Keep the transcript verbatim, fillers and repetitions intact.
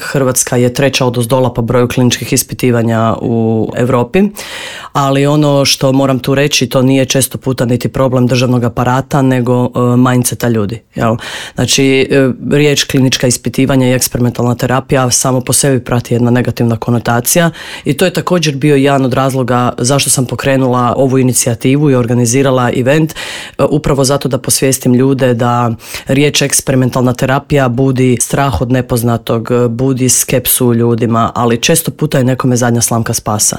Hrvatska je treća odozdola po broju kliničkih ispitivanja u Europi, ali ono što moram tu reći, to nije često puta niti problem državnog aparata, nego uh, mindseta ljudi. Jel? Znači, uh, riječ klinička ispitivanja i eksperimentalna terapija samo po sebi prati jedna negativna konotacija i to je također bio jedan od razloga zašto sam pokrenula ovu inicijativu i organizirala event, uh, upravo zato da posvijestim ljude da riječ eksperimentalna terapija budi strah od nepoznatog, budi skepsu u ljudima, ali često puta je nekome zadnja slamka spasa.